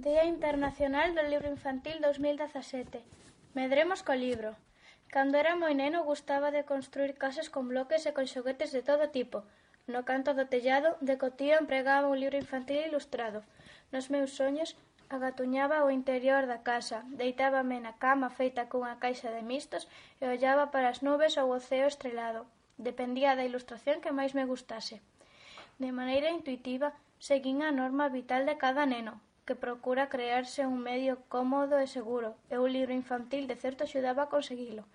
Día Internacional do Libro Infantil 2017. Medremos co libro. Cando era moi neno gustaba de construir casas con bloques e con xoguetes de todo tipo. No canto do tellado, de cotío empregaba un libro infantil ilustrado. Nos meus soños, agatuñaba o interior da casa, deitábame na cama feita cunha caixa de mistos e ollaba para as nubes ou o ceo estrelado. Dependía da ilustración que máis me gustase. De maneira intuitiva, seguín a norma vital de cada neno, que procura crearse un medio cómodo e seguro, e un libro infantil de certo axudaba a conseguilo.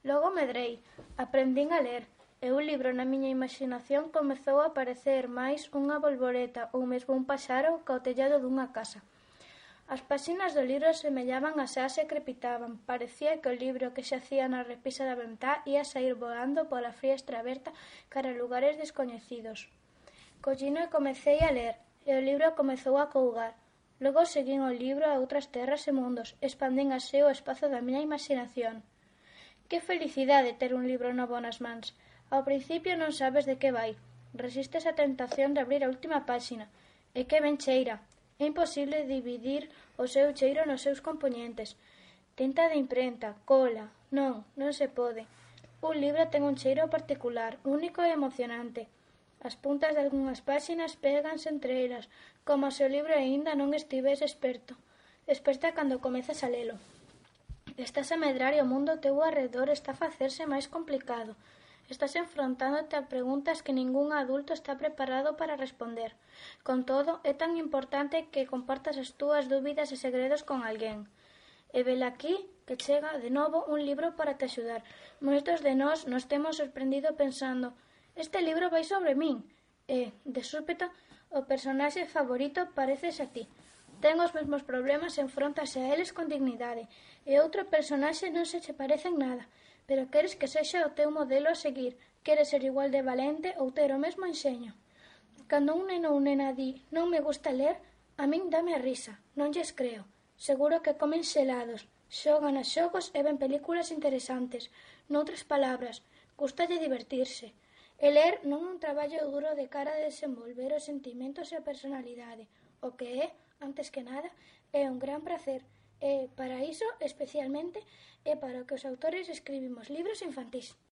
Logo medrei, aprendín a ler, e un libro na miña imaginación comezou a parecer máis unha bolboreta ou mesmo un paxaro ca o tellado dunha casa. As páxinas do libro semellaban a xas e crepitaban. Parecía que o libro que xacía na repisa da ventá ia saír voando pola friestra aberta cara a lugares descoñecidos. Collino e comecei a ler, e o libro comezou a cougar. Logo seguín o libro a outras terras e mundos, expandín así o espazo da miña imaginación. Que felicidade ter un libro novo nas mans. Ao principio non sabes de que vai. Resistes a tentación de abrir a última páxina. E que ben cheira. É imposible dividir o seu cheiro nos seus compoñentes. Tinta de imprenta, cola... Non se pode. Un libro ten un cheiro particular, único e emocionante. As puntas de algunhas páxinas péganse entre elas, como se o libro aínda non estivese esperto. Esperta cando comezas a lelo. Estás a medrar e o mundo ao teu arredor está a facerse máis complicado. Estás enfrontándote a preguntas que ningún adulto está preparado para responder. Con todo, é tan importante que compartas as túas dúbidas e segredos con alguén. E velaquí que chega de novo un libro para te axudar. Moitos de nós nos temos sorprendido pensando: este libro vai sobre min. E, de súpeto, o personaxe favorito pareces a ti. Ten os mesmos problemas e enfróntase a eles con dignidade. E outro personaxe non se che parece en nada, pero queres que sexa o teu modelo a seguir. Queres ser igual de valente ou ter o mesmo enxeño. Cando un neno ou nena di non me gusta ler, a min dame a risa, non lles creo. Seguro que comen xelados, xogan a xogos e ven películas interesantes. Noutras palabras, gustalle divertirse. E ler non é un traballo duro de cara a desenvolver os sentimentos e a personalidade. O que é, antes que nada, é un gran prazer. E, para iso, especialmente, é para o que os autores escribimos libros infantís.